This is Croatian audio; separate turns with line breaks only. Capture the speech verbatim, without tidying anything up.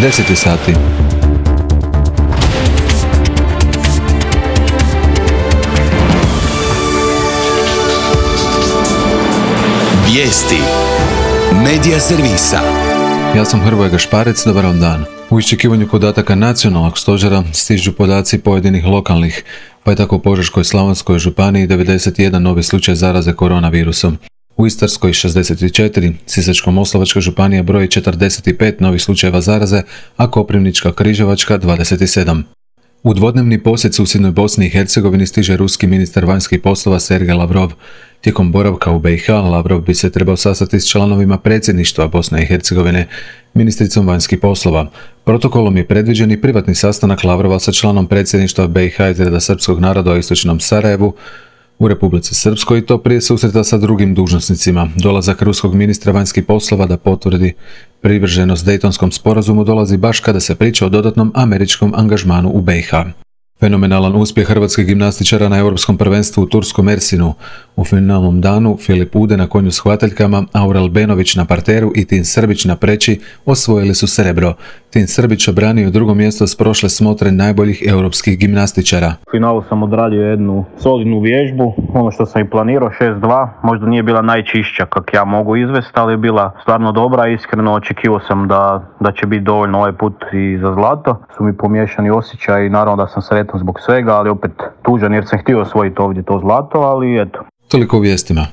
deset sati.
Vijesti Medija servisa.
Ja sam Hrvoje Gašparec, dobar vam dan. U iščekivanju podataka nacionalnog stožera stižu podaci pojedinih lokalnih, pa je tako u Požeško-slavonskoj županiji devedeset jedan novi slučaj zaraze koronavirusom. U Istarskoj šezdeset četiri, Sisačko-moslavačka županija broji četrdeset pet novih slučajeva zaraze, a Koprivnička-križevačka dvadeset sedam. U dvodnevni posjet susjednoj Bosni i Hercegovini stiže ruski ministar vanjskih poslova Sergej Lavrov. Tijekom boravka u be i ha, Lavrov bi se trebao sastati s članovima predsjedništva Bosne i Hercegovine, ministricom vanjskih poslova. Protokolom je predviđen i privatni sastanak Lavrova sa članom predsjedništva be i ha iz reda srpskog naroda u istočnom Sarajevu, u Republici Srpskoj, i to prije susreta sa drugim dužnosnicima. Dolazak ruskog ministra vanjskih poslova da potvrdi privrženost Dejtonskom sporazumu dolazi baš kada se priča o dodatnom američkom angažmanu u be i ha. Fenomenalan uspjeh hrvatskih gimnastičara na europskom prvenstvu u turskom Mersinu. U finalnom danu Filip Ude na konju s hvataljkama, Aurel Benović na parteru i Tin Srbić na preći osvojili su srebro. Tin Srbić obranio drugo mjesto s prošle smotre najboljih europskih gimnastičara.
U finalu sam odradio jednu solidnu vježbu, ono što sam i planirao, šest dva, možda nije bila najčišća kak ja mogu izvesti, ali je bila stvarno dobra. Iskreno očekivao sam da, da će biti dovoljno ovaj put i za zlato. Su mi pomiješani osjećaj i naravno da sam sretan zbog svega, ali opet tužan jer sam htio osvojiti ovdje to zlato, ali eto.
Toliko u vijestima.